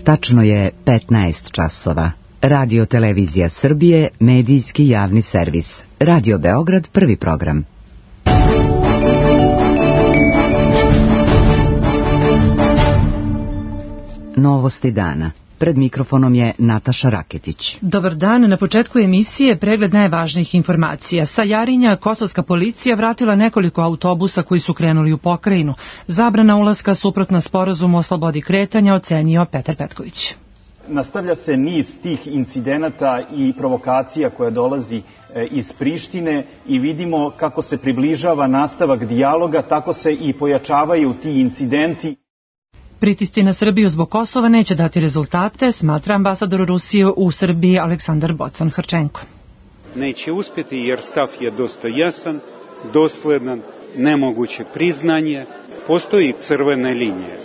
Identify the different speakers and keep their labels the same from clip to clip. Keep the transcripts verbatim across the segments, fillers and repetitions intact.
Speaker 1: Tačno je petnaest časova. Radio Televizija Srbije, medijski javni servis. Radio Beograd, prvi program. Novosti dana. Pred mikrofonom je Nataša Raketić.
Speaker 2: Dobar dan, na početku emisije pregled najvažnijih informacija. Sa Jarinja kosovska policija vratila nekoliko autobusa koji su krenuli u pokrajinu. Zabrana ulaska suprotna sporazumu o slobodi kretanja, ocenio Petar Petković.
Speaker 3: Nastavlja se niz tih incidenata i provokacija koja dolazi iz Prištine i vidimo kako se približava nastavak dijaloga, tako se i pojačavaju ti incidenti.
Speaker 2: Pritisci na Srbiju zbog Kosova neće dati rezultate, smatra ambasador Rusije u Srbiji Aleksandar Bocan-Hrčenko.
Speaker 4: Neće uspjeti jer stav je dosta jasan, dosledan, nemoguće priznanje, postoji crvene linije.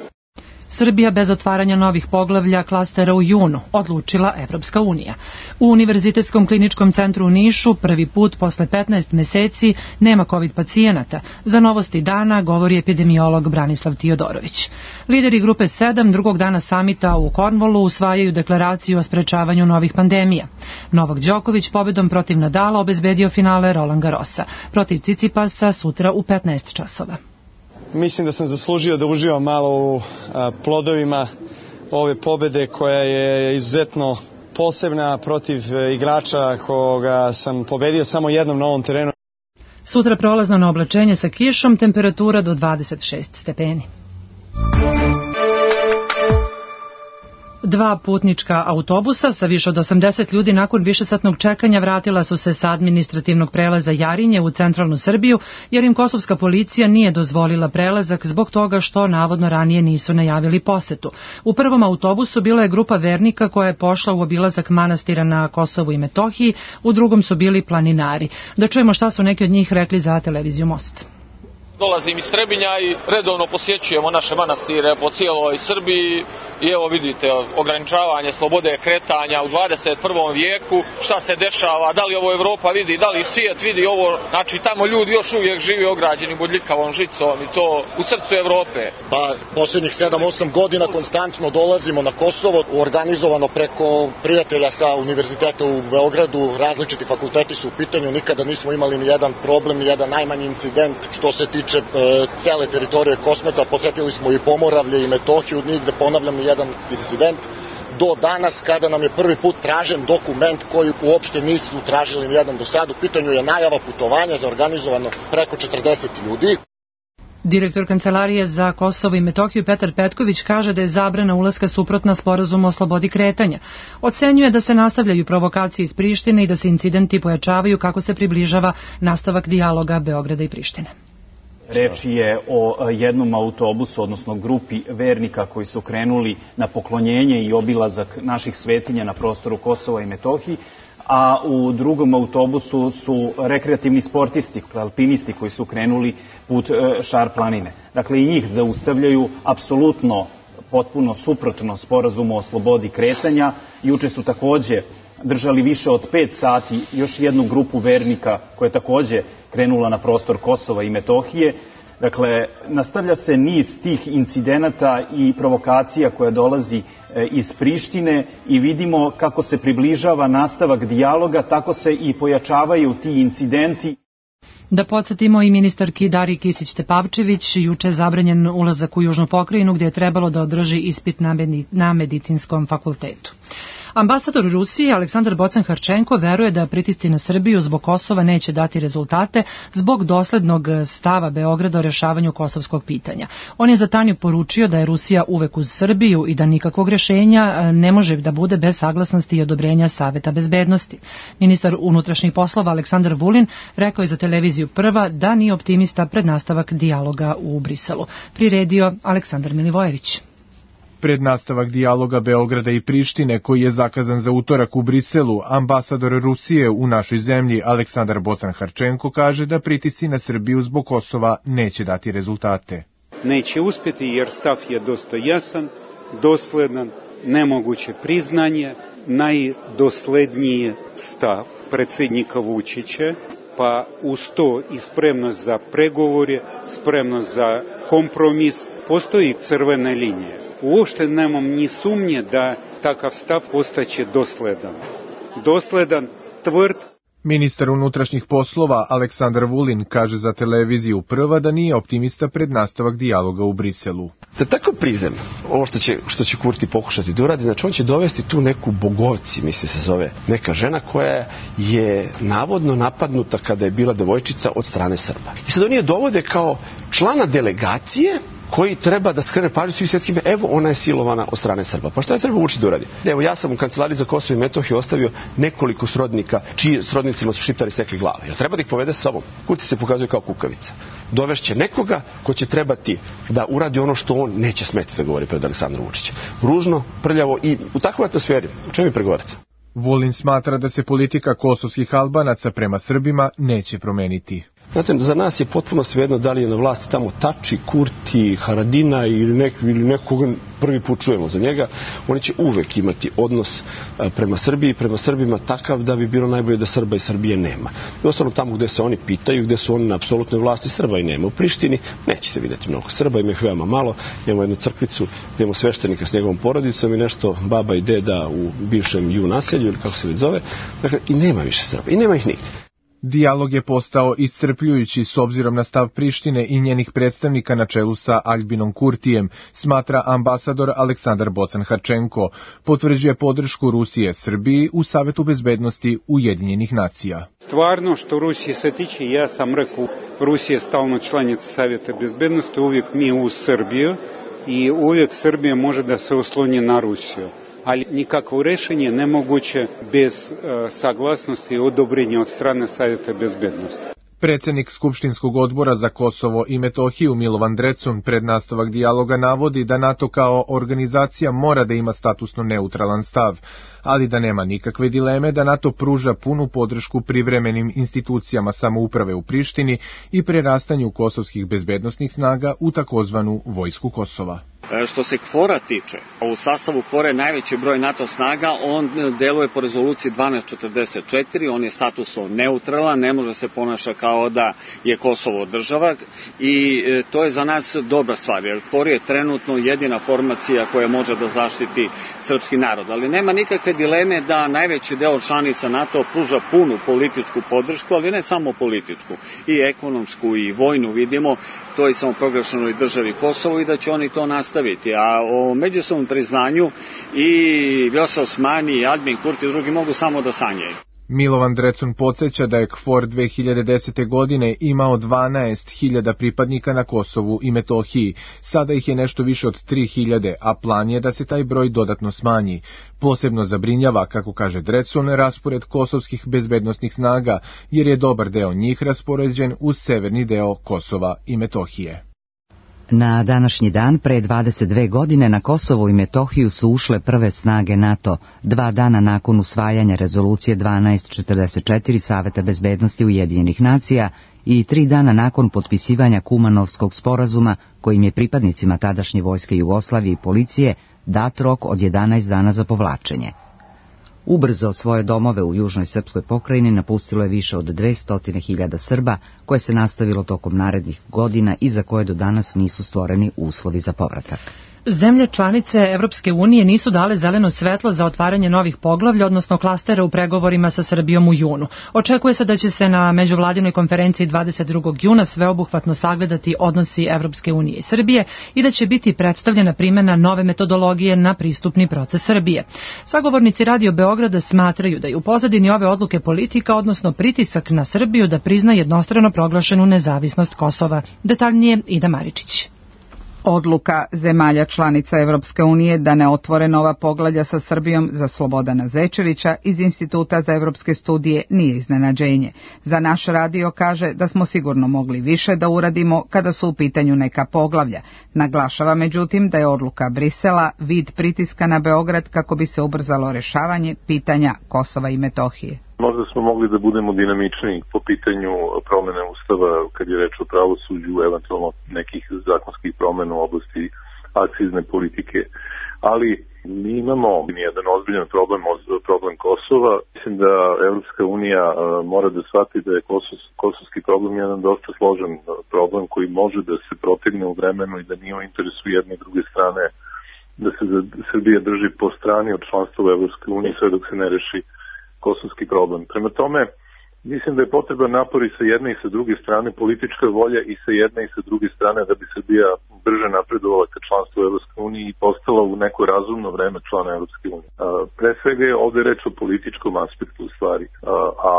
Speaker 2: Srbija bez otvaranja novih poglavlja klastera u junu, odlučila Evropska unija. U Univerzitetskom kliničkom centru u Nišu prvi put posle petnaest meseci nema COVID pacijenata. Za Novosti dana govori epidemiolog Branislav Tiodorović. Lideri grupe sedam drugog dana samita u Cornwallu usvajaju deklaraciju o sprečavanju novih pandemija. Novak Đoković pobedom protiv Nadala obezbedio finale Roland Garrosa. Protiv Cicipasa sutra u petnaest časova.
Speaker 5: Mislim da sam zaslužio da uživam malo u a, plodovima ove pobede koja je izuzetno posebna protiv igrača koga sam pobedio samo jednom na ovom terenu.
Speaker 2: Sutra prolazno na oblačenje sa kišom, temperatura do dvadeset šest stepeni. Dva putnička autobusa sa više od osamdeset ljudi nakon višesatnog čekanja vratila su se sa administrativnog prelaza Jarinje u centralnu Srbiju, jer im kosovska policija nije dozvolila prelazak zbog toga što navodno ranije nisu najavili posetu. U prvom autobusu bila je grupa vernika koja je pošla u obilazak manastira na Kosovu i Metohiji, u drugom su bili planinari. Da čujemo šta su neki od njih rekli za televiziju Most.
Speaker 6: Dolazim iz Trebinja i redovno posjećujemo naše manastire po cijeloj Srbiji i evo vidite ograničavanje slobode kretanja u dvadeset prvom vijeku, šta se dešava, da li ovo Evropa vidi, da li svijet vidi ovo, znači tamo ljudi još uvijek živi ograđeni bodljikavom žicom i to u srcu Evrope.
Speaker 7: Pa posljednjih sedam osam godina konstantno dolazimo na Kosovo, organizovano preko prijatelja sa univerziteta u Beogradu, različiti fakulteti su u pitanju, nikada nismo imali ni jedan problem, ni jedan najmanji incident što se tiče e, cele teritorije Kosmeta, podsjetili smo i Pomoravlje i Metohiju, nigde ponavljam ni jedan incident, do danas kada nam je prvi put tražen dokument koji uopšte nisu tražili nijedan do sad. U pitanju je najava putovanja za organizovano preko četrdeset ljudi.
Speaker 2: Direktor Kancelarije za Kosovo i Metohiju Petar Petković kaže da je zabrana ulaska suprotna sporazumu o slobodi kretanja. Ocenjuje da se nastavljaju provokacije iz Prištine i da se incidenti pojačavaju kako se približava nastavak dijaloga Beograda i Prištine.
Speaker 3: Reč je o jednom autobusu, odnosno grupi vernika koji su krenuli na poklonjenje i obilazak naših svetinja na prostoru Kosova i Metohiji, a u drugom autobusu su rekreativni sportisti, alpinisti koji su krenuli put Šar planine. Dakle, i njih zaustavljaju apsolutno potpuno suprotno sporazumu o slobodi kretanja. Juče su takođe držali više od pet sati još jednu grupu vernika koja je takođe krenula na prostor Kosova i Metohije. Dakle, nastavlja se niz tih incidenata i provokacija koja dolazi iz Prištine i vidimo kako se približava nastavak dijaloga, tako se i pojačavaju ti incidenti.
Speaker 2: Da podsjetimo i ministarki Dariji Kisić-Tepavčević, juče je zabranjen ulazak u Južnu pokrajinu gdje je trebalo da održi ispit na medicinskom fakultetu. Ambasador Rusije Aleksandar Bocan-Hrčenko veruje da pritisci na Srbiju zbog Kosova neće dati rezultate zbog doslednog stava Beograda o rješavanju kosovskog pitanja. On je za Tanju poručio da je Rusija uvek uz Srbiju i da nikakvog rješenja ne može da bude bez saglasnosti i odobrenja Saveta bezbednosti. Ministar unutrašnjih poslova Aleksandar Vulin rekao je za televiziju Prva da nije optimista pred nastavak dijaloga u Briselu. Priredio Aleksandar Milivojević.
Speaker 8: Pred nastavak dijaloga Beograda i Prištine, koji je zakazan za utorak u Briselu, ambasador Rusije u našoj zemlji Aleksandar Bocan-Hrčenko kaže da pritisci na Srbiju zbog Kosova neće dati rezultate.
Speaker 4: Neće uspjeti jer stav je dosta jasan, dosledan, nemoguće priznanje, najdosledniji stav predsjednika Vučića, pa uz to i spremnost za pregovore, spremnost za kompromis, postoji crvene linije. uopšte nemam ni sumnje da takav stav ostaće dosledan. Dosledan, tvrd.
Speaker 8: Ministar unutrašnjih poslova Aleksandar Vulin kaže za televiziju Prva da nije optimista pred nastavak dijaloga u Briselu.
Speaker 9: Za takav prizem, ovo što će, što će Kurti pokušati da uradi, znači on će dovesti tu neku Bogovci, misli se zove, neka žena koja je navodno napadnuta kada je bila devojčica od strane Srba. I sad oni je dovode kao člana delegacije koji treba da skrene pažnju svih svjetskih, evo ona je silovana od strane Srba. Pa šta je treba Vučić da uradi? Evo ja sam u kancelariji za Kosovo i Metohiju ostavio nekoliko srodnika, čiji srodnicima su Šiptari sekli glave. Jel treba da ih povede sa sobom? Kurti se pokazuje kao kukavica. Dovešće nekoga ko će trebati da uradi ono što on neće smeti da govori pred Aleksandrom Vučićem. Ružno, prljavo i u takvoj atmosferi. O čemu vi pregovarate?
Speaker 8: Vulin smatra da se politika kosovskih Albanaca prema Srbima neće promeniti.
Speaker 9: Znate, za nas je potpuno svejedno da li je na vlasti tamo Tači, Kurti, Haradina ili, nek, ili nekoga prvi put čujemo za njega. Oni će uvek imati odnos prema Srbiji, prema Srbima takav da bi bilo najbolje da Srba i Srbije nema. I ostalo tamo gde se oni pitaju, gde su oni na apsolutnoj vlasti, Srba i nema. U Prištini nećete vidjeti mnogo Srba, ima ih veoma malo. Imamo jednu crkvicu gde imamo sveštenika s njegovom porodicom i nešto baba i deda u bivšem ju naselju ili kako se već zove. Dakle, i nema više Srba, i nema ih nigde.
Speaker 8: Dijalog je postao iscrpljujući s obzirom na stav Prištine i njenih predstavnika na čelu sa Aljbinom Kurtijem, smatra ambasador Aleksandar Bocan-Harčenko, potvrđuje podršku Rusije Srbiji u Savetu bezbednosti Ujedinjenih nacija.
Speaker 4: Stvarno što Rusije se tiče, ja sam rekao, Rusija je stalno članica Saveta bezbednosti, uvijek mi u Srbiju i uvijek Srbija može da se osloni na Rusiju. Ali nikakvo rešenje nemoguće bez e, saglasnosti i odobrenja od strane Savjeta bezbednosti.
Speaker 8: Predsjednik Skupštinskog odbora za Kosovo i Metohiju Milovan Drecun pred nastavak dijaloga navodi da NATO kao organizacija mora da ima statusno neutralan stav, ali da nema nikakve dileme da NATO pruža punu podršku privremenim institucijama samouprave u Prištini i prerastanju kosovskih bezbednosnih snaga u takozvanu Vojsku Kosova.
Speaker 10: Što se KFOR-a tiče, u sastavu KFOR-a je najveći broj NATO snaga, on deluje po rezoluciji dvanaest četrdeset četiri, on je statusno neutralan, ne može se ponaša kao da je Kosovo država i to je za nas dobra stvar, jer KFOR je trenutno jedina formacija koja može da zaštiti srpski narod, ali nema nikakve dileme da najveći deo članica NATO pruža punu političku podršku, ali ne samo političku, i ekonomsku i vojnu vidimo, to je samo proglašenoj državi Kosovo i da će oni to nastaviti. A o međusobnom priznanju i Vjosa Osmani i Aljbin Kurti i drugi mogu samo da sanjaju.
Speaker 8: Milovan Drecun podsjeća da je KFOR dve hiljade desete. godine imao dvanaest hiljada pripadnika na Kosovu i Metohiji. Sada ih je nešto više od tri hiljade, a plan je da se taj broj dodatno smanji. Posebno zabrinjava, kako kaže Drecun, raspored kosovskih bezbednosnih snaga, jer je dobar deo njih raspoređen uz severni deo Kosova i Metohije.
Speaker 1: Na današnji dan, pre dvadeset dve godine, na Kosovo i Metohiju su ušle prve snage NATO, dva dana nakon usvajanja rezolucije dvanaest četrdeset četiri Saveta bezbednosti Ujedinjenih nacija i tri dana nakon potpisivanja Kumanovskog sporazuma, kojim je pripadnicima tadašnje vojske Jugoslavije i policije dat rok od jedanaest dana za povlačenje. Ubrzo svoje domove u južnoj srpskoj pokrajini napustilo je više od dvesta hiljada Srba, koje se nastavilo tokom narednih godina i za koje do danas nisu stvoreni uslovi za povratak.
Speaker 2: Zemlje članice Evropske unije nisu dale zeleno svetlo za otvaranje novih poglavlja, odnosno klastera u pregovorima sa Srbijom u junu. Očekuje se da će se na međuvladinoj konferenciji dvadeset drugog juna sveobuhvatno sagledati odnosi Evropske unije i Srbije i da će biti predstavljena primjena nove metodologije na pristupni proces Srbije. Sagovornici Radio Beograda smatraju da je u pozadini ove odluke politika, odnosno pritisak na Srbiju da prizna jednostrano proglašenu nezavisnost Kosova. Detaljnije Ida Maričić.
Speaker 11: Odluka zemalja članica Evropske unije da ne otvore nova poglavlja sa Srbijom za Slobodana Zečevića iz Instituta za evropske studije nije iznenađenje. Za naš radio kaže da smo sigurno mogli više da uradimo kada su u pitanju neka poglavlja. Naglašava međutim da je odluka Brisela vid pritiska na Beograd kako bi se ubrzalo rešavanje pitanja Kosova i Metohije.
Speaker 12: Možda smo mogli da budemo dinamičniji po pitanju promene ustava kad je reč o pravosuđu, eventualno nekih zakonskih promena u oblasti akcizne politike. Ali mi imamo jedan ozbiljan problem, problem Kosova. Mislim da Evropska unija mora da shvati da je Kosov, kosovski problem jedan dosta složen problem koji može da se protegne u vremenu i da nije u interesu jedne i druge strane da se Srbija drži po strani od članstva u Evropskoj uniji sve dok se ne reši kosovski problem. Prema tome, mislim da je potreban napor i sa jedne i sa druge strane, politička volja i sa jedne i sa druge strane da bi Srbija brže napredovala ka članstvu u Evropskoj uniji i postala u neko razumno vreme člana Evropske unije. Pre svega je ovde reč o političkom aspektu u stvari, a, a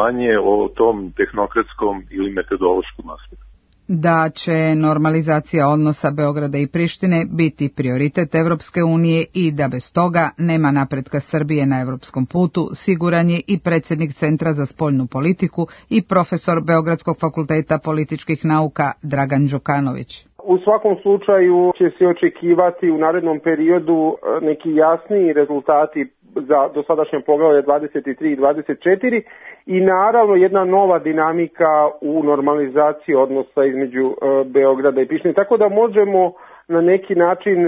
Speaker 12: manje o tom tehnokratskom ili metodološkom aspektu.
Speaker 11: Da će normalizacija odnosa Beograda i Prištine biti prioritet Evropske unije i da bez toga nema napretka Srbije na evropskom putu, siguran je i predsjednik Centra za spoljnu politiku i profesor Beogradskog fakulteta političkih nauka Dragan Đukanović.
Speaker 13: U svakom slučaju će se očekivati u narednom periodu neki jasniji rezultati za dosadašnje poglavlje dvadeset tri i dvadeset četiri i naravno jedna nova dinamika u normalizaciji odnosa između Beograda i Prištine. Tako da možemo na neki način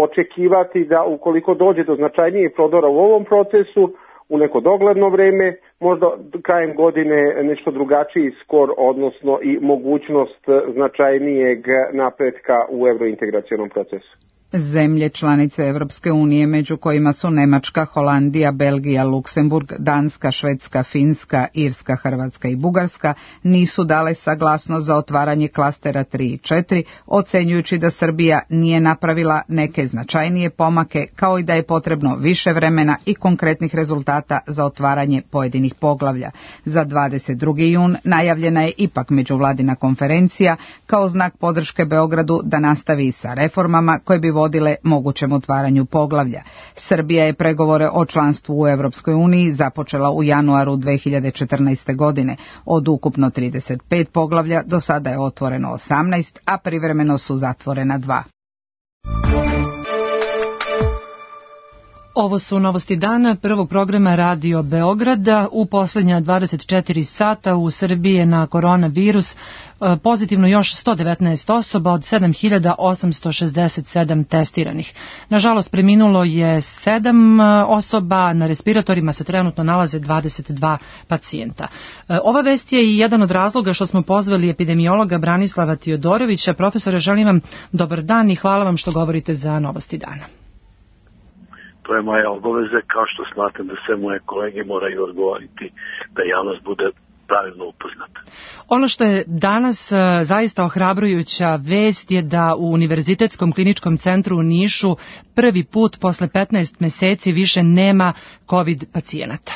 Speaker 13: očekivati da ukoliko dođe do značajnijih prodora u ovom procesu, u neko dogledno vreme, možda krajem godine nešto drugačiji skor, odnosno i mogućnost značajnijeg napretka u evrointegracionom procesu.
Speaker 11: Zemlje članice Evropske unije, među kojima su Nemačka, Holandija, Belgija, Luksemburg, Danska, Švedska, Finska, Irska, Hrvatska i Bugarska, nisu dale saglasnost za otvaranje klastera tri i četiri, ocenjujući da Srbija nije napravila neke značajnije pomake, kao i da je potrebno više vremena i konkretnih rezultata za otvaranje pojedinih poglavlja. Za dvadeset drugi jun najavljena je ipak međuvladina konferencija kao znak podrške Beogradu da nastavi sa reformama koje bi vodile mogućem otvaranju poglavlja. Srbija je pregovore o članstvu u Evropskoj uniji započela u januaru dve hiljade četrnaeste. godine. Od ukupno trideset pet poglavlja do sada je otvoreno osamnaest, a privremeno su zatvorena dva.
Speaker 2: Ovo su novosti dana prvog programa Radio Beograda. U posljednja dvadeset četiri sata u Srbiji je na koronavirus pozitivno još sto devetnaest osoba od sedam hiljada osamsto šezdeset sedam testiranih. Nažalost, preminulo je sedam osoba, na respiratorima se trenutno nalaze dvadeset dva pacijenta. Ova vest je i jedan od razloga što smo pozvali epidemiologa Branislava Tiodorovića. Profesore, želim vam dobar dan i hvala vam što govorite za novosti dana.
Speaker 14: To je moja obaveza, kao što smatram da sve moje kolege moraju odgovoriti da javnost bude pravilno upoznata.
Speaker 2: Ono što je danas zaista ohrabrujuća vest je da u Univerzitetskom kliničkom centru u Nišu prvi put posle petnaest meseci više nema COVID pacijenata.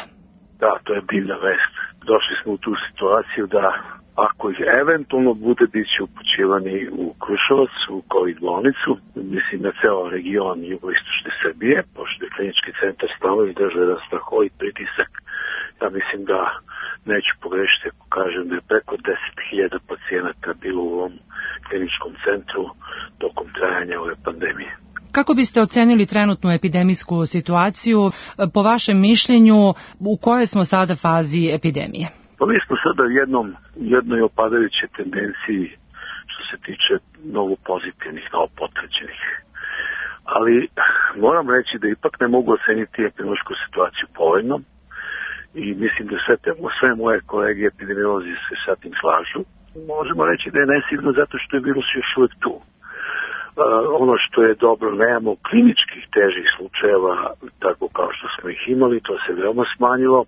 Speaker 14: Da, to je divna vest. Došli smo u tu situaciju da ako ih eventualno bude, bit će upućivani u Kruševac, u COVID bolnicu, mislim na ceo region jugoistočne Srbije, pošto je klinički centar stalno izdržao jedan strahovit pritisak. Ja mislim da neću pogrešiti ako kažem da je preko deset hiljada pacijenata bilo u ovom kliničkom centru tokom trajanja ove pandemije.
Speaker 2: Kako biste ocenili trenutnu epidemijsku situaciju? Po vašem mišljenju, u kojoj smo sada fazi epidemije?
Speaker 14: Pa mi smo sada u jednom, jednoj opadajućoj tendenciji što se tiče mnogo pozitivnih, novo potvrđenih. Ali moram reći da ipak ne mogu oceniti epidemiološku situaciju povoljno i mislim da sve, te, sve moje kolege epidemiolozi se sa tim slažu. Možemo reći da je nesigurno zato što je virus još uvijek tu. Uh, ono što je dobro, nemamo kliničkih težih slučajeva tako kao što smo ih imali, to se veoma smanjilo,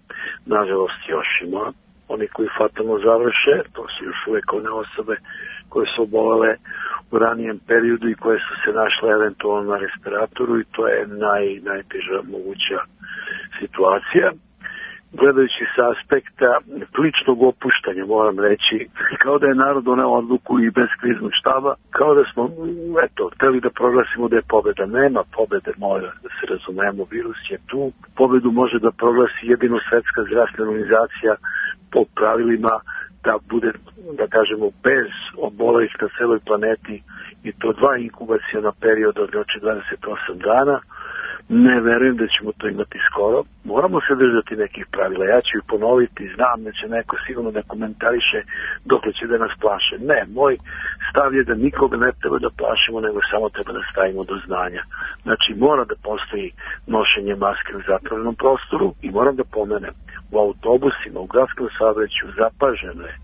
Speaker 14: nažalost još ima. Oni koji fatalno završe, to su još uvijek one osobe koje su obolele u ranijem periodu i koje su se našle eventualno na respiratoru i to je naj, najteža moguća situacija. Gledajući sa aspekta ličnog opuštanja, moram reći, kao da je narod doneo odluku i bez kriznog štaba, kao da smo, eto, hteli da proglasimo da je pobjeda. Nema pobjede, mora da se razumemo, virus je tu. Pobjedu može da proglasi jedino Svetska zdravstvena organizacija po pravilima da bude, da kažemo, bez obolelih na celoj planeti i to dva inkubaciona perioda od dvadeset osam dana. Ne verujem da ćemo to imati skoro. Moramo se držati nekih pravila. Ja ću ih ponoviti, znam da će neko sigurno da komentariše dok će da nas plaše. Ne, moj stav je da nikoga ne treba da plašimo, nego samo treba da stavimo do znanja. Znači, mora da postoji nošenje maske u zatvorenom prostoru i moram da pomenem, u autobusima, u gradskom saobraćaju zapaženo je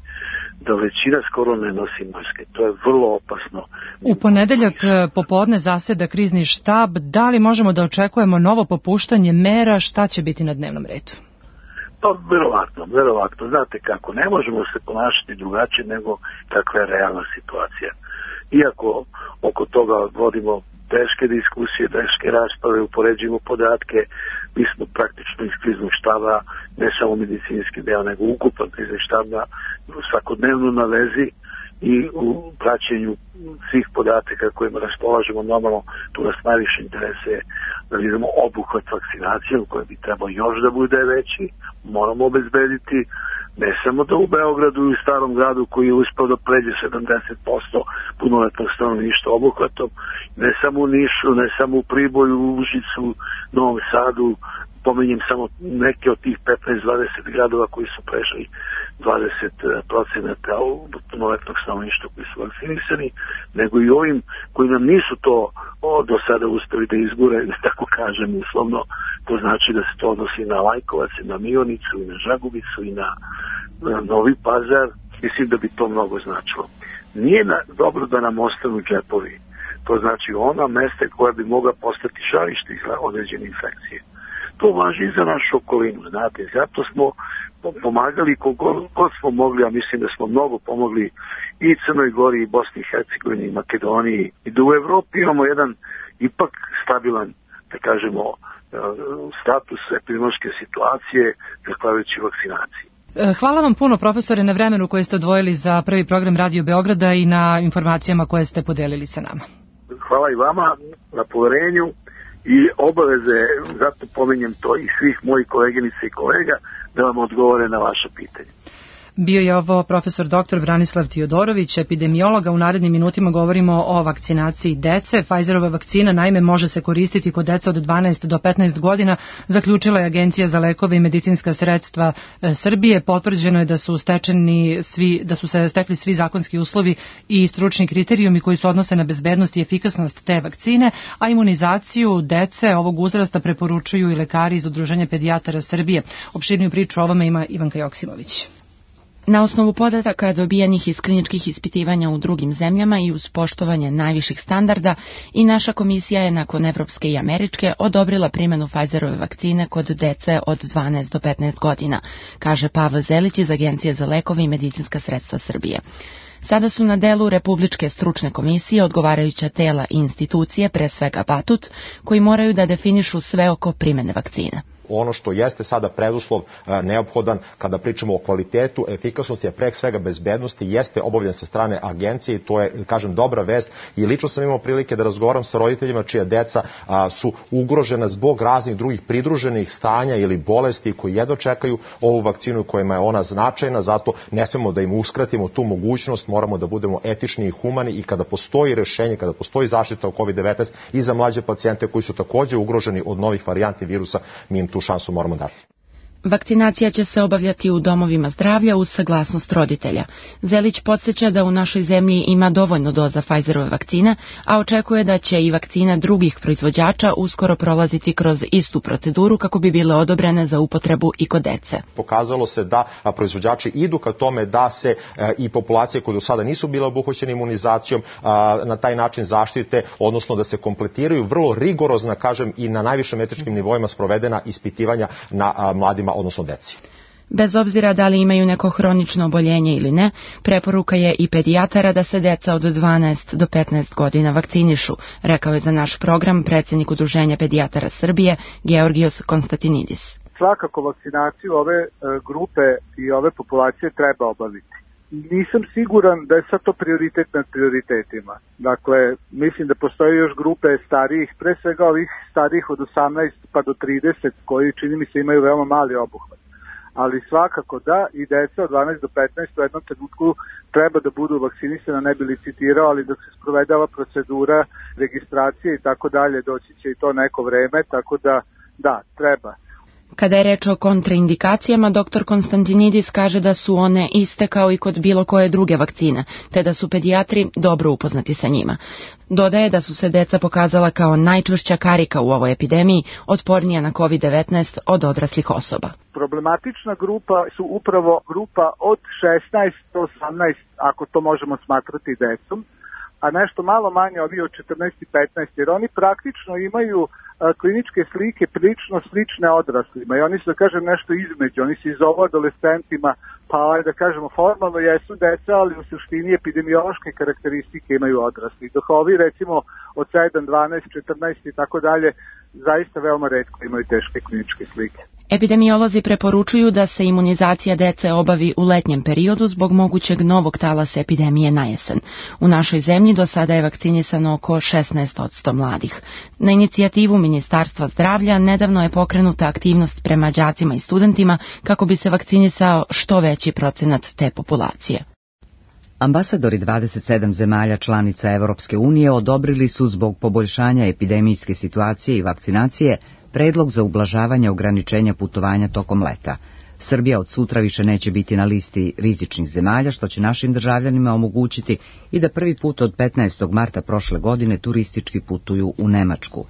Speaker 14: da većina skoro ne nosi maske. To je vrlo opasno.
Speaker 2: U ponedeljak popodne zaseda krizni štab. Da li možemo da očekujemo novo popuštanje mera? Šta će biti na dnevnom redu?
Speaker 14: Pa, verovatno, verovatno. Znate kako, ne možemo se ponašati drugačije nego kakva je realna situacija. Iako oko toga vodimo teške diskusije, teške rasprave, upoređujemo podatke, mi smo praktično iz kriznog štaba, ne samo medicinski deo, nego ukupan krizni štab svakodnevno na vezi i u praćenju svih podataka kojima raspolažemo. Normalno, tu nas najviše interese da vidimo obuhvat vakcinacije, u kojoj bi trebao još da bude veći, moramo obezbediti ne samo da u Beogradu i u Starom gradu koji je uspeo da pređe sedamdeset posto punoletnog stanovništva obuhvatom, ne samo u Nišu, ne samo u Priboju, u Užicu, Novom Sadu, pomenjem samo neke od tih petnaest dvadeset gradova koji su prešli dvadeset procenata punoletnog stanovništva koji su vakcinisani, nego i ovim koji nam nisu to o, do sada uspeli da izgure, da tako kažem uslovno. To znači da se to odnosi na Lajkovac, i na Mionicu, i na Žagubicu, i na, na Novi Pazar. Mislim da bi to mnogo značilo. Nije na, dobro da nam ostanu džepovi. To znači ona mesta koja bi mogla postati žarište za određene infekcije. To važi i za našu okolinu, znate, zato smo pomagali kogod smo mogli, a mislim da smo mnogo pomogli i Crnoj Gori, i Bosni i Hercegovini, i Makedoniji, i da u Evropi imamo jedan ipak stabilan, da kažemo, status epidemiološke situacije zahvaljujući vakcinaciji.
Speaker 2: Hvala vam puno, profesore, na vremenu koje ste odvojili za prvi program Radio Beograda i na informacijama koje ste podelili sa nama.
Speaker 14: Hvala i vama na poverenju i obaveze, zato pominjem to i svih mojih koleginica i kolega, da vam odgovore na vaše pitanje.
Speaker 2: Bio je ovo profesor doktor Branislav Tiodorović, epidemiologa. U narednim minutima govorimo o vakcinaciji dece. Pfizerova vakcina naime može se koristiti kod deca od dvanaest do petnaest godina, zaključila je Agencija za lekove i medicinska sredstva Srbije. Potvrđeno je da su stečeni svi, da su se stekli svi zakonski uslovi i stručni kriterijumi koji se odnose na bezbednost i efikasnost te vakcine, a imunizaciju dece ovog uzrasta preporučuju i lekari iz Udruženja pedijatara Srbije. Opširniju priču o ovome ima Ivanka Joksimović.
Speaker 15: Na osnovu podataka dobijanih iz kliničkih ispitivanja u drugim zemljama i uz poštovanje najviših standarda, i naša komisija je nakon evropske i američke odobrila primjenu Pfizerove vakcine kod dece od dvanaest do petnaest godina, kaže Pavle Zelić iz Agencije za lekove i medicinska sredstva Srbije. Sada su na delu Republičke stručne komisije, odgovarajuća tela i institucije, pre svega Batut, koji moraju da definišu sve oko primjene vakcine.
Speaker 16: Ono što jeste sada preduslov neophodan kada pričamo o kvalitetu, efikasnosti, a pre svega bezbednosti, jeste obavljen sa strane agencije i to je, kažem, dobra vest. I lično sam imao prilike da razgovaram sa roditeljima čija deca a, su ugrožena zbog raznih drugih pridruženih stanja ili bolesti koji jedno čekaju ovu vakcinu kojima je ona značajna, zato ne smemo da im uskratimo tu mogućnost, moramo da budemo etični i humani i kada postoji rešenje, kada postoji zaštita o kovid devetnaest i za mlađe pacijente koji su takođe ugroženi od novih varijanti virusa, mi im tu šansu moramo dati.
Speaker 15: Vakcinacija će se obavljati u domovima zdravlja uz saglasnost roditelja. Zelić podsjeća da u našoj zemlji ima dovoljno doza Pfizerove vakcine, a očekuje da će i vakcina drugih proizvođača uskoro prolaziti kroz istu proceduru kako bi bile odobrene za upotrebu i kod dece.
Speaker 16: Pokazalo se da proizvođači idu ka tome da se i populacije koje do sada nisu bile obuhvaćene imunizacijom na taj način zaštite, odnosno da se kompletiraju vrlo rigorozna, kažem, i na najvišim etičkim nivoima sprovedena ispitivanja na mladima, odnosno deci.
Speaker 15: Bez obzira da li imaju neko hronično oboljenje ili ne, preporuka je i pedijatara da se deca od dvanaest do petnaest godina vakcinišu, rekao je za naš program predsjednik Udruženja pedijatara Srbije Georgijos Konstantinidis.
Speaker 17: Svakako vakcinaciju ove grupe i ove populacije treba obaviti. Nisam siguran da je sad to prioritet nad prioritetima. Dakle, mislim da postoje još grupe starijih, pre svega ovih starijih od osamnaest pa do trideset, koji čini mi se imaju veoma mali obuhvat. Ali svakako da i deca od dvanaest do petnaest u jednom trenutku treba da budu vakcinisana, ne bi li citirao, ali dok se sprovedava procedura registracije i tako dalje, doći će i to neko vreme, tako da da, treba.
Speaker 15: Kada je reč o kontraindikacijama, doktor Konstantinidis kaže da su one iste kao i kod bilo koje druge vakcine, te da su pedijatri dobro upoznati sa njima. Dodaje da su se deca pokazala kao najčvršća karika u ovoj epidemiji, otpornija na kovid devetnaest od odraslih osoba.
Speaker 17: Problematična grupa su upravo grupa od šesnaest do osamnaest, ako to možemo smatrati decom, a nešto malo manje ovi od četrnaest i petnaest, jer oni praktično imaju a, kliničke slike prilično slične odraslima i oni su, da kažem, nešto između, oni se iz ovo adolescentima, pa da kažemo formalno jesu deca, ali u suštini epidemiološke karakteristike imaju odrasli. Dok ovi recimo od sedam, dvanaest, četrnaest i tako dalje zaista veoma retko imaju teške kliničke slike.
Speaker 15: Epidemiolozi preporučuju da se imunizacija dece obavi u letnjem periodu zbog mogućeg novog talasa epidemije na jesen. U našoj zemlji do sada je vakcinisano oko šesnaest posto mladih. Na inicijativu Ministarstva zdravlja nedavno je pokrenuta aktivnost prema đacima i studentima kako bi se vakcinisao što veći procenat te populacije.
Speaker 1: Ambasadori dvadeset sedam zemalja članica Evropske unije odobrili su zbog poboljšanja epidemijske situacije i vakcinacije predlog za ublažavanje ograničenja putovanja tokom leta. Srbija od sutra više neće biti na listi rizičnih zemalja, što će našim državljanima omogućiti i da prvi put od petnaestog marta prošle godine turistički putuju u Nemačku.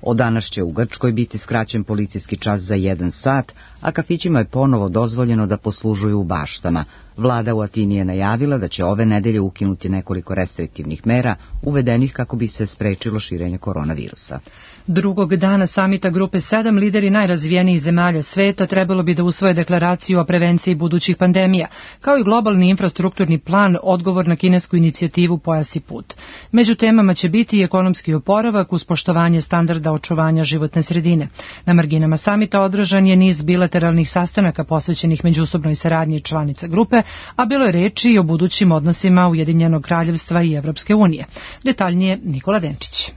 Speaker 1: Od danas će u Grčkoj biti skraćen policijski čas za jedan sat, a kafićima je ponovo dozvoljeno da poslužuju u baštama. Vlada u Atini je najavila da će ove nedelje ukinuti nekoliko restriktivnih mera uvedenih kako bi se sprečilo širenje koronavirusa.
Speaker 2: Drugog dana samita Grupe sedam lideri najrazvijenijih zemalja sveta trebalo bi da usvoje deklaraciju o prevenciji budućih pandemija, kao i globalni infrastrukturni plan, odgovor na kinesku inicijativu Pojas i put. Među temama će biti i ekonomski oporavak uz poštovanje standarda očuvanja životne sredine. Na marginama samita održan je niz bilateralnih sastanaka posvećenih međusobnoj saradnji članica grupe, a bilo je reči i o budućim odnosima Ujedinjenog kraljevstva i Evropske unije. Detaljnije Nikola Denčić.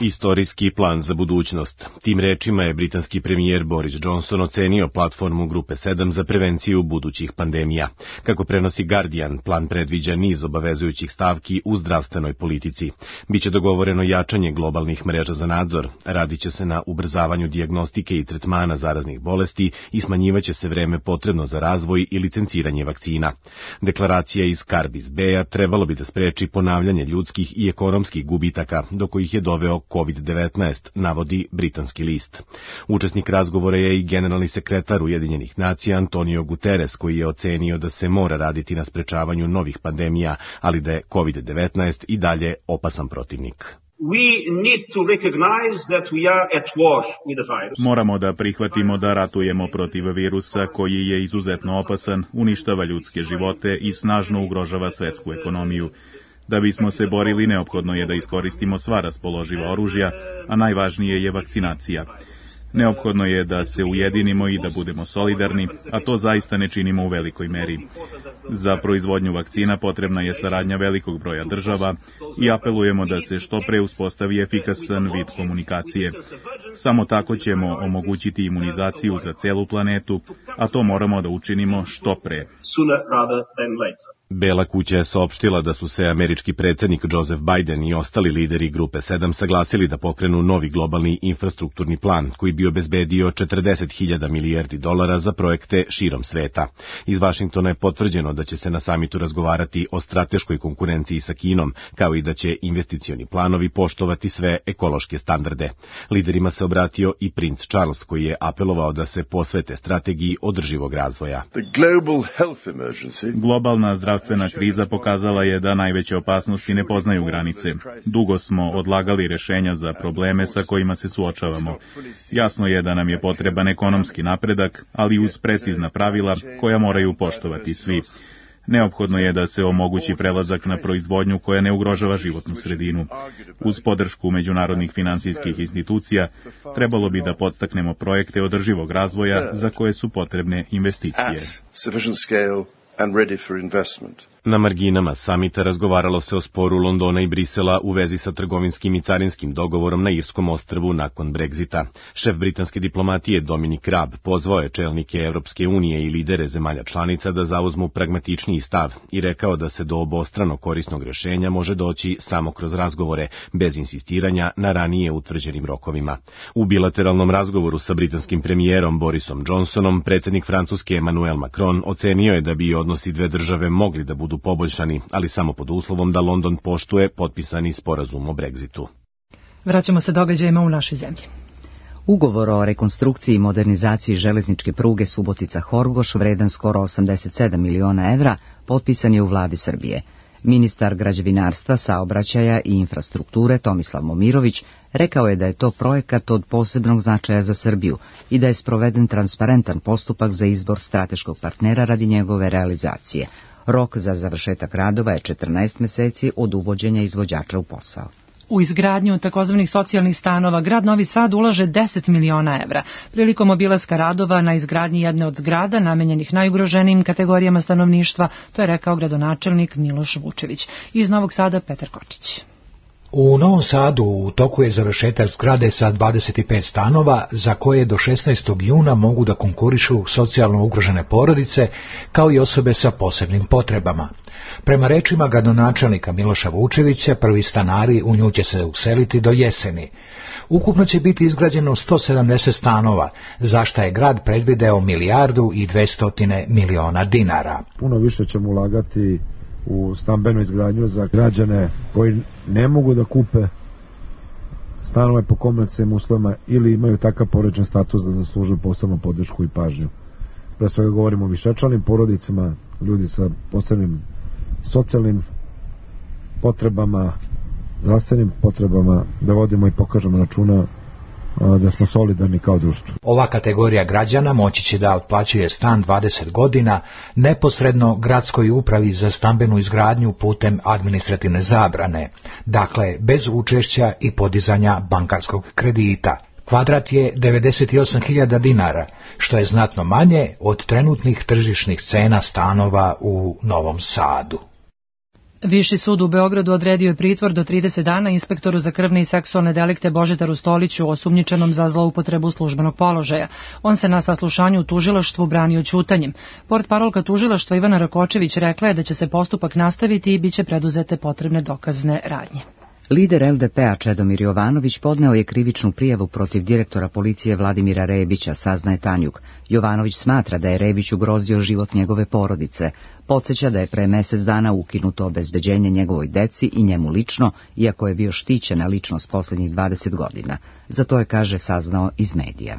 Speaker 18: Istorijski plan za budućnost. Tim rečima je britanski premijer Boris Johnson ocenio platformu Grupe sedam za prevenciju budućih pandemija. Kako prenosi Guardian, plan predviđa niz obavezujućih stavki u zdravstvenoj politici. Biće dogovoreno jačanje globalnih mreža za nadzor, radit će se na ubrzavanju dijagnostike i tretmana zaraznih bolesti i smanjivaće se vreme potrebno za razvoj i licenciranje vakcina. Deklaracija iz Carbis Bay-a trebalo bi da spreči ponavljanje ljudskih i ekonomskih gubitaka, do kojih je doveo kovid devetnaest, navodi britanski list. Učesnik razgovora je i generalni sekretar Ujedinjenih nacija Antonio Guterres, koji je ocenio da se mora raditi na sprečavanju novih pandemija, ali da je kovid devetnaest i dalje opasan protivnik.
Speaker 19: Moramo da prihvatimo da ratujemo protiv virusa koji je izuzetno opasan, uništava ljudske živote i snažno ugrožava svetsku ekonomiju. Da bismo se borili, neophodno je da iskoristimo sva raspoloživa oružja, a najvažnije je vakcinacija. Neophodno je da se ujedinimo i da budemo solidarni, a to zaista ne činimo u velikoj meri. Za proizvodnju vakcina potrebna je saradnja velikog broja država i apelujemo da se što pre uspostavi efikasan vid komunikacije. Samo tako ćemo omogućiti imunizaciju za celu planetu, a to moramo da učinimo što pre.
Speaker 18: Bela kuća je saopštila da su se američki predsjednik Joseph Biden i ostali lideri Grupe sedam saglasili da pokrenu novi globalni infrastrukturni plan koji bi obezbedio četrdeset hiljada milijardi dolara za projekte širom sveta. Iz Vašingtona je potvrđeno da će se na samitu razgovarati o strateškoj konkurenciji sa Kinom, kao i da će investicioni planovi poštovati sve ekološke standarde. Liderima se obratio i princ Charles, koji je apelovao da se posvete strategiji održivog razvoja.
Speaker 19: Globalna zdravstvena kriza pokazala je da najveće opasnosti ne poznaju granice. Dugo smo odlagali rešenja za probleme sa kojima se suočavamo. Jasno je da nam je potreban ekonomski napredak, ali uz precizna pravila koja moraju poštovati svi. Neophodno je da se omogući prelazak na proizvodnju koja ne ugrožava životnu sredinu. Uz podršku međunarodnih finansijskih institucija trebalo bi da podstaknemo projekte održivog razvoja za koje su potrebne investicije.
Speaker 20: And ready for investment.
Speaker 18: Na marginama samita razgovaralo se o sporu Londona i Brisela u vezi sa trgovinskim i carinskim dogovorom na Irskom ostrvu nakon Brexita. Šef britanske diplomatije Dominic Raab pozvao je čelnike Evropske unije i lidere zemalja članica da zauzmu pragmatičniji stav i rekao da se do obostrano korisnog rešenja može doći samo kroz razgovore, bez insistiranja na ranije utvrđenim rokovima. U bilateralnom razgovoru sa britanskim premijerom Borisom Johnsonom, predsjednik Francuske Emmanuel Macron ocenio je da bi odnosi dve države mogli da budu poboljšani, ali samo pod uslovom da London poštuje potpisani sporazum o Brexitu.
Speaker 2: Vraćamo se događajima u našoj zemlji.
Speaker 1: Ugovor o rekonstrukciji i modernizaciji železničke pruge Subotica-Horgoš, vredan skoro osamdeset sedam miliona evra, potpisan je u vladi Srbije. Ministar građevinarstva, saobraćaja i infrastrukture Tomislav Momirović rekao je da je to projekat od posebnog značaja za Srbiju i da je sproveden transparentan postupak za izbor strateškog partnera radi njegove realizacije. Rok za završetak radova je četrnaest meseci od uvođenja izvođača u posao.
Speaker 2: U izgradnju takozvanih socijalnih stanova grad Novi Sad ulaže deset miliona evra. Prilikom obilaska radova na izgradnji jedne od zgrada namenjenih najugroženijim kategorijama stanovništva, to je rekao gradonačelnik Miloš Vučević. Iz Novog Sada Petar Kočić.
Speaker 20: U Novom Sadu u toku je završetak zgrade sa dvadeset pet stanova za koje do šesnaestog juna mogu da konkurišu socijalno ugrožene porodice kao i osobe sa posebnim potrebama. Prema rečima gradonačelnika Miloša Vučevića, prvi stanari u nju će se useliti do jeseni. Ukupno će biti izgrađeno sto sedamdeset stanova, za šta je grad predvideo milijardu i dvesta miliona dinara.
Speaker 21: Puno više ćemo ulagati u stambenu izgradnju za građane koji ne mogu da kupe stanove po komercijalnim uslovima ili imaju takav porodičan status da zaslužuju posebnu podršku i pažnju. Pre svega govorimo o višečlanim porodicama, ljudi sa posebnim socijalnim potrebama, zdravstvenim potrebama, da vodimo i pokažemo računa da smo solidarni kao društvo.
Speaker 20: Ova kategorija građana moći će da otplaćuje stan dvadeset godina neposredno gradskoj upravi za stambenu izgradnju putem administrativne zabrane, dakle bez učešća i podizanja bankarskog kredita. Kvadrat je devedeset osam hiljada dinara, što je znatno manje od trenutnih tržišnih cena stanova u Novom Sadu.
Speaker 2: Viši sud u Beogradu odredio je pritvor do trideset dana inspektoru za krvne i seksualne delikte Božidaru Stoliću, osumnjičenom za zloupotrebu službenog položaja. On se na saslušanju u tužilaštvu branio ćutanjem. Portparolka tužilaštva Ivana Rakočević rekla je da će se postupak nastaviti i bit će preduzete potrebne dokazne radnje.
Speaker 1: Lider L D P-a Čedomir Jovanović podneo je krivičnu prijavu protiv direktora policije Vladimira Rebića, saznaje Tanjug. Jovanović smatra da je Rebić ugrozio život njegove porodice. Podsjeća da je pre mesec dana ukinuto obezbeđenje njegovoj deci i njemu lično, iako je bio štićena ličnost posljednjih dvadeset godina. Za to je, kaže, saznao iz medija.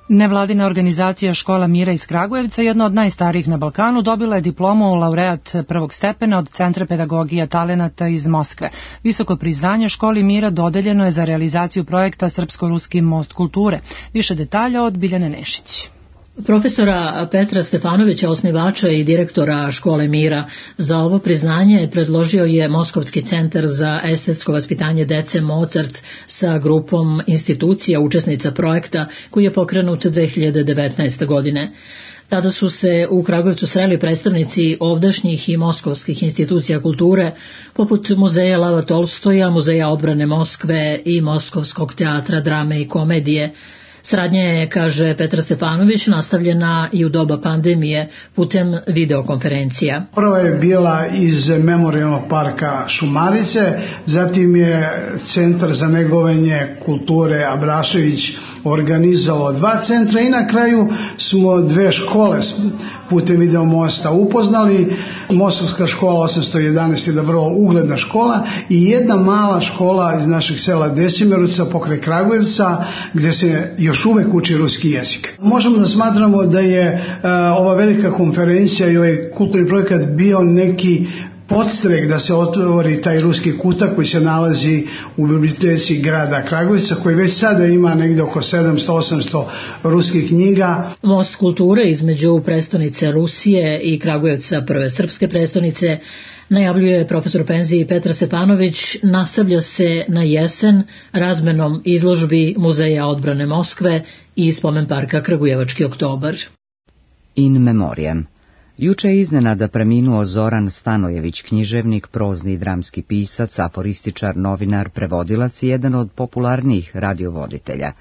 Speaker 2: Nevladina organizacija Škola mira iz Kragujevca, jedna od najstarijih na Balkanu, dobila je diplomu laureat prvog stepena od Centra pedagogija talenata iz Moskve. Visoko priznanje Školi mira dodeljeno je za realizaciju projekta Srpsko-ruski most kulture. Više detalja od Biljane Nešić.
Speaker 22: Profesora Petra Stefanovića, osnivača i direktora Škole mira, za ovo priznanje predložio je Moskovski centar za estetsko vaspitanje dece Mozart sa grupom institucija učesnica projekta koji je pokrenut dve hiljade devetnaeste. godine. Tada su se u Kragujevcu sreli predstavnici ovdašnjih i moskovskih institucija kulture, poput Muzeja Lava Tolstoja, Muzeja odbrane Moskve i Moskovskog teatra drame i komedije. Saradnja je, kaže Petar Stefanović, nastavljena i u doba pandemije putem videokonferencija.
Speaker 23: Prva je bila iz Memorijalnog parka Šumarice, zatim je Centar za negovanje kulture Abrašević organizovao dva centra i na kraju smo dve škole putem video mosta upoznali. Mostovska škola osamsto jedanaest je da vrlo ugledna škola i jedna mala škola iz našeg sela Desimerovca pokraj Kragujevca gdje se još uvek uči ruski jezik. Možemo da smatramo da je uh, ova velika konferencija i ovaj kulturni projekat bio neki podstrek da se otvori taj ruski kutak koji se nalazi u biblioteci grada Kragujevca, koji već sada ima negdje oko sedamsto osamsto ruskih knjiga.
Speaker 22: Most kulture između prestonice Rusije i Kragujevca, prve srpske prestonice, najavljuje profesor penziji Petar Stefanović, nastavlja se na jesen razmenom izložbi Muzeja odbrane Moskve i spomen parka Kragujevački oktobar.
Speaker 1: In memoriam. Juče je iznenada preminuo Zoran Stanojević, književnik, prozni i dramski pisac, aforističar, novinar, prevodilac i jedan od popularnijih radiovoditelja.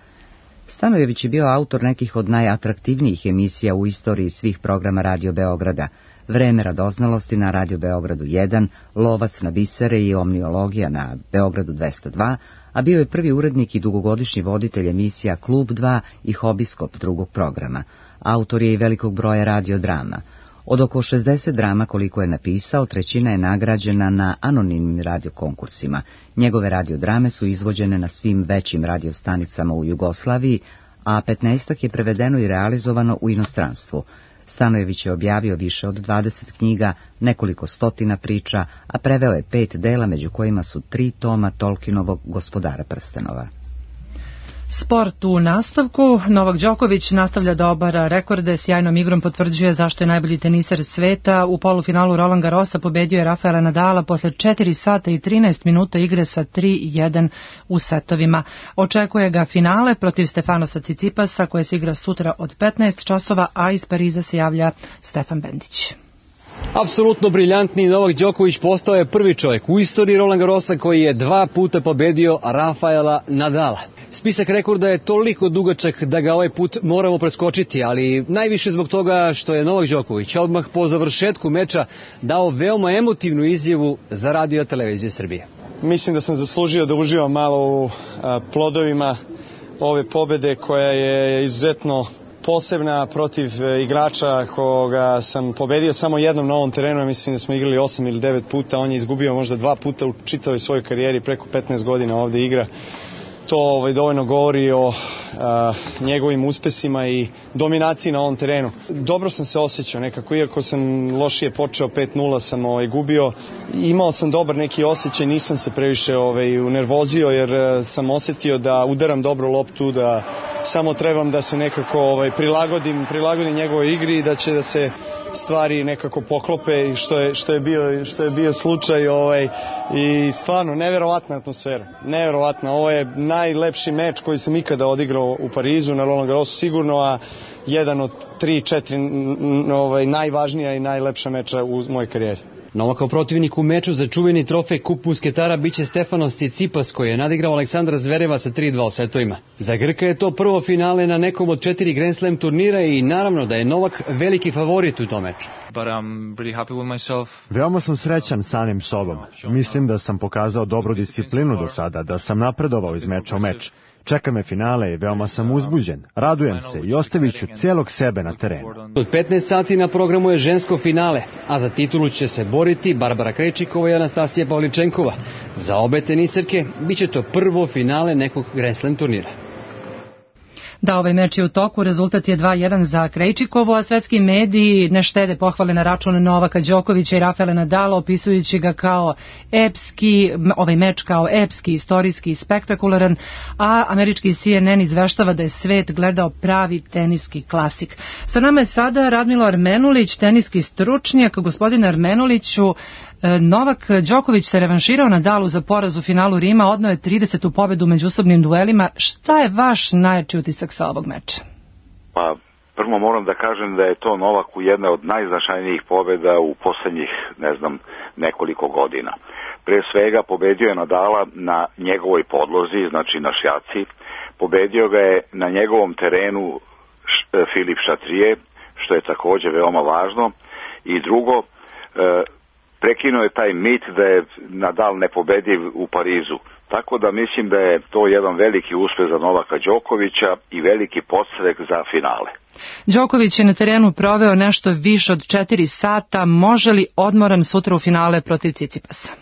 Speaker 1: Stanojević je bio autor nekih od najatraktivnijih emisija u istoriji svih programa Radio Beograda, Vreme radoznalosti na Radio Beogradu jedan, Lovac na bisere i Omniologija na Beogradu dvesta dva, a bio je prvi urednik i dugogodišnji voditelj emisija Klub dva i Hobiskop drugog programa. Autor je i velikog broja radiodrama. Od oko šezdeset drama koliko je napisao, trećina je nagrađena na anonimnim radiokonkursima. Njegove radiodrame su izvođene na svim većim radiostanicama u Jugoslaviji, a petnaestak je prevedeno i realizovano u inostranstvu. Stanojević je objavio više od dvadeset knjiga, nekoliko stotina priča, a preveo je pet dela, među kojima su tri toma Tolkienovog Gospodara prstenova.
Speaker 2: Sport u nastavku. Novak Đoković nastavlja da obara rekorde, sjajnom igrom potvrđuje zašto je najbolji teniser sveta. U polufinalu Roland Garrosa pobedio je Rafaela Nadala posle četiri sata i trinaest minuta igre sa tri jedan u setovima. Očekuje ga finale protiv Stefanosa Cicipasa koje se igra sutra od petnaest časova, a iz Pariza se javlja Stefan Bendić.
Speaker 5: Apsolutno briljantni Novak Đoković postao je prvi čovjek u istoriji Roland Garrosa koji je dva puta pobedio Rafaela Nadala. Spisak rekorda je toliko dugačak da ga ovaj put moramo preskočiti, ali najviše zbog toga što je Novak Đoković odmah po završetku meča dao veoma emotivnu izjavu za Radio televiziju Srbije.
Speaker 6: Mislim da sam zaslužio da uživam malo u a, plodovima ove pobede koja je izuzetno posebna protiv igrača koga sam pobedio samo jednom na ovom terenu. Mislim da smo igrali osam ili devet puta, on je izgubio možda dva puta u čitavoj svojoj karijeri, preko petnaest godina ovde igra. To ovaj, dovoljno govori o a, njegovim uspesima i dominaciji na ovom terenu. Dobro sam se osjećao nekako, iako sam lošije počeo, pet nula sam ovaj, gubio. Imao sam dobar neki osjećaj, nisam se previše ovaj, unervozio jer a, sam osjetio da udaram dobro loptu, da samo trebam da se nekako ovaj, prilagodim, prilagodim njegovoj igri i da će da se stvari nekako poklope i što je, što je bio, što je bio slučaj ovaj, i stvarno neverovatna atmosfera, neverovatna. Ovo je najlepši meč koji sam ikada odigrao u Parizu na Roland Garrosu sigurno, a jedan od tri, četiri ovaj, najvažnija i najlepša meča u mojoj karijeri.
Speaker 5: Novakov protivnik u meču za čuveni trofej Kup Musketara biće Stefanos Tsitsipas koji je nadigrao Aleksandra Zvereva sa tri dva u setovima. Za Grka je to prvo finale na nekom od četiri Grand Slam turnira i naravno da je Novak veliki favorit u tom meču.
Speaker 7: Veoma sam srećan samim sobom. Mislim da sam pokazao dobru disciplinu do sada, da sam napredovao iz meča u meč. Čeka me finale i veoma sam uzbuđen. Radujem se i ostavit ću cijelog sebe na terenu.
Speaker 5: Od petnaest sati na programu je žensko finale, a za titulu će se boriti Barbara Krejčikova i Anastasija Pavličenkova. Za obe teniserke biće to prvo finale nekog Grand Slam turnira.
Speaker 2: Da, ovaj meč je u toku, rezultat je dva jedan za Krejčikovu, a svetski mediji ne štede pohvale na račun Novaka Đokovića i Rafaela Nadala, opisujući ga kao epski, ovaj meč kao epski, istorijski i spektakularan, a američki C N N izveštava da je svet gledao pravi teniski klasik. Sa nama je sada Radmilo Armenulić, teniski stručnjak. Gospodine Armenuliću, Novak Đoković se revanširao Nadalu za poraz u finalu Rima, odneo je tridesetu pobedu u međusobnim duelima. Šta je vaš najjači utisak sa ovog meča?
Speaker 24: Pa, prvo moram da kažem da je to Novaku jedna od najznačajnijih pobeda u poslednjih, ne znam, nekoliko godina. Pre svega pobedio je Nadala na njegovoj podlozi, znači na šljaci. Pobedio ga je na njegovom terenu Filip Šatrije, što je takođe veoma važno. I drugo, prekinuo je taj mit da je Nadal nepobediv u Parizu. Tako da mislim da je to jedan veliki uspeh za Novaka Đokovića i veliki podstrek za finale.
Speaker 2: Đoković je na terenu proveo nešto više od četiri sata. Može li odmoran sutra u finale protiv Cicipasa?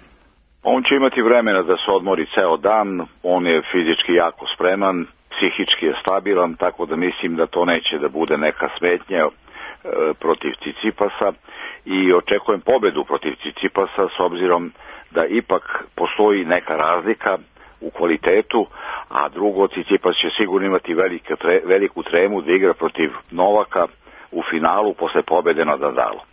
Speaker 24: On će imati vremena da se odmori ceo dan. On je fizički jako spreman, psihički je stabilan, tako da mislim da to neće da bude neka smetnja e, protiv Cicipasa. I očekujem pobedu protiv Cicipasa s obzirom da ipak postoji neka razlika u kvalitetu, a drugo, Cicipas će sigurno imati veliku, tre, veliku tremu da igra protiv Novaka u finalu posle pobede nad Nadalom.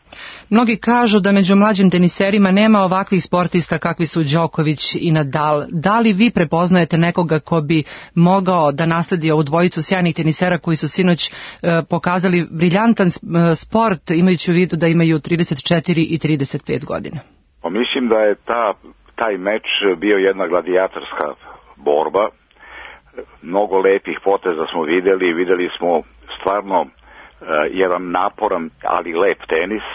Speaker 2: Mnogi kažu da među mlađim teniserima nema ovakvih sportista kakvi su Đoković i Nadal. Da li vi prepoznajete nekoga ko bi mogao da nasledi ovu dvojicu sjajnih tenisera koji su sinoć e, pokazali briljantan sport, imajući u vidu da imaju trideset četiri i trideset pet godina?
Speaker 24: Pa mislim da je ta, taj meč bio jedna gladijatorska borba. Mnogo lepih poteza smo videli, videli smo stvarno Uh, jedan naporan, ali lep tenis,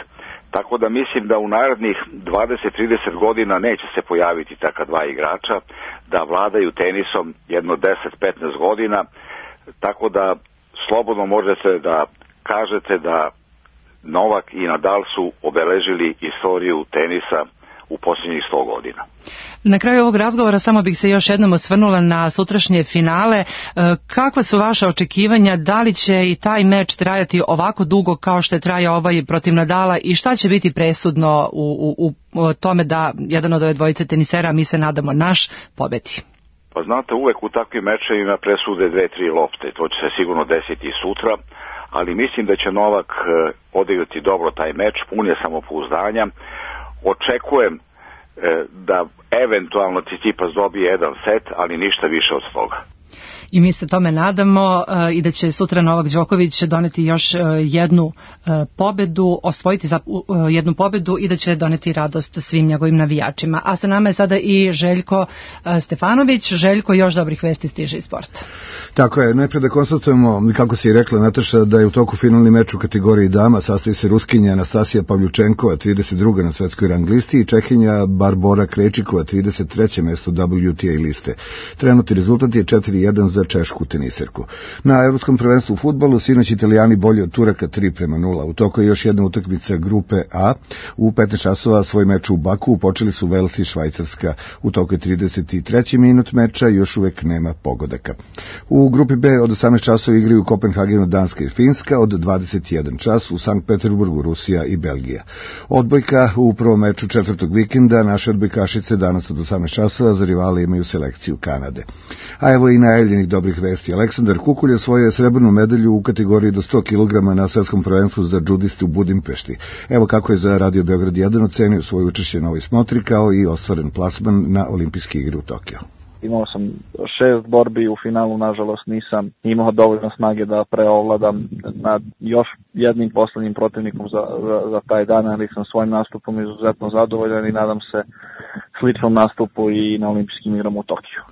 Speaker 24: tako da mislim da u narednih dvadeset do trideset godina neće se pojaviti taka dva igrača, da vladaju tenisom jedno deset do petnaest godina, tako da slobodno možete da kažete da Novak i Nadal su obeležili istoriju tenisa u posljednjih sto godina.
Speaker 2: Na kraju ovog razgovora samo bih se još jednom osvrnula na sutrašnje finale. Kakva su vaša očekivanja, da li će i taj meč trajati ovako dugo kao što je trajao ovaj protiv Nadala i šta će biti presudno u, u, u tome da jedan od ove dvojice tenisera, mi se nadamo, naš pobedi?
Speaker 24: Pa znate, uvek u takvim mečevima presude dve, tri lopte, to će se sigurno desiti sutra, ali mislim da će Novak odigrati dobro taj meč, pun je samopouzdanja. Očekujem da eventualno Tsitsipas dobije jedan set, ali ništa više od toga.
Speaker 2: I mi se tome nadamo i da će sutra Novak Đoković doneti još jednu pobedu, osvojiti za jednu pobedu i da će doneti radost svim njegovim navijačima. A sa nama je sada i Željko Stefanović. Željko, još dobrih vesti stiže iz sporta.
Speaker 3: Tako je, najprej da konstatujemo, kako si rekla Nataša, da je u toku finalni meč u kategoriji dama, sastoji se Ruskinja Anastasija Pavljučenkova, trideset druga na svetskoj rang listi, i Čehinja Barbora Krejčikova, trideset treće mesto W T A liste. Trenutni rezultat je četiri jedan za češku teniserku. Na Evropskom prvenstvu u fudbalu sinoć Italijani bolji od Turaka tri prema nula. U toku je još jedna utakmica grupe A. U petnaest časova svoj meč u Baku počeli su Vels i Švajcarska. U toku je trideset treći minut meča, još uvek nema pogodaka. U grupi B od osamnaest časova igraju u Kopenhagenu Danska i Finska, od dvadeset jedan čas u Sankt Peterburgu Rusija i Belgija. Odbojka u prvom meču četvrtog vikenda, naše odbojkašice danas od osamnaest časova za rivale imaju selekciju Kanade. A evo i najavljenih dobrih vesti. Aleksandar Kukulj osvojio srebrnu medalju u kategoriji do sto kilograma na svetskom prvenstvu za džudiste u Budimpešti. Evo kako je za Radio Beograd jedan ocenio svoje učešće na ovoj smotri, kao i ostvaren plasman na olimpijske igre u Tokiju.
Speaker 4: Imao sam šest borbi, u finalu nažalost nisam imao dovoljno snage da preovladam nad još jednim poslednjim protivnikom za, za, za taj dan, ali sam svojim nastupom izuzetno zadovoljan i nadam se sličnom nastupu i na olimpijskim igrama u Tokiju.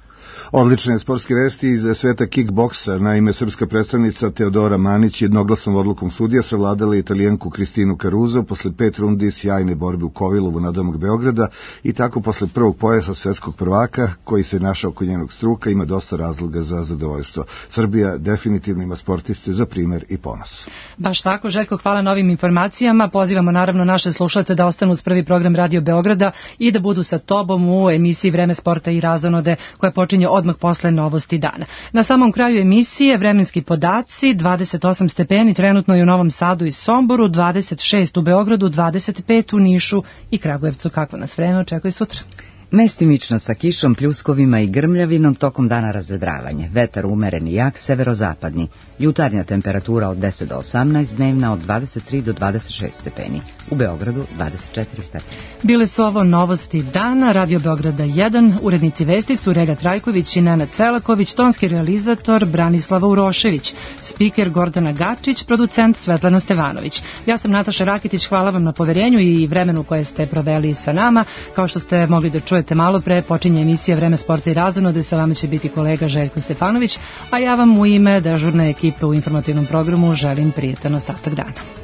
Speaker 3: Odlične sportske vesti iz sveta kickboksa. Naime, srpska predstavnica Teodora Manić jednoglasnom odlukom sudija savladala Italijanku Kristinu Caruso posle pet rundi sjajne borbe u Kovilovu nadomak Beograda i tako posle prvog pojasa svetskog prvaka koji se našao oko njenog struka ima dosta razloga za zadovoljstvo. Srbija definitivno ima sportiste za primer i ponos.
Speaker 2: Baš tako, Željko, hvala na ovim informacijama. Pozivamo naravno naše slušalce da ostanu uz prvi program Radio Beograda i da budu sa tobom u emisiji Vreme sporta i razonode koja počinje odmah posle novosti dana. Na samom kraju emisije vremenski podaci, dvadeset osam stepeni trenutno je u Novom Sadu i Somboru, dvadeset šest u Beogradu, dvadeset pet u Nišu i Kragujevcu. Kako nas vreme očekuje sutra?
Speaker 1: Mestimično sa kišom, pljuskovima i grmljavinom, tokom dana razvedravanje. Vetar umeren i jak, severozapadni. Jutarnja temperatura od deset do osamnaest, dnevna od dvadeset tri do dvadeset šest stepeni. U Beogradu dvadeset četiri stepeni.
Speaker 2: Bile su ovo novosti dana, Radio Beograda jedan, urednici vesti su Rega Trajković i Nenad Celaković, tonski realizator Branislava Urošević, spiker Gordana Gačić, producent Svetlana Stevanović. Ja sam Nataša Rakitić, hvala vam na poverenju i vremenu koje ste proveli sa nama. Kao što ste mogli da čujete malo pre, počinje emisija Vreme sporta i razonode, sa vama će biti kolega Željko Stefanović, a ja vam u ime dežurne ekipe u informativnom programu želim prijetan ostatak dana.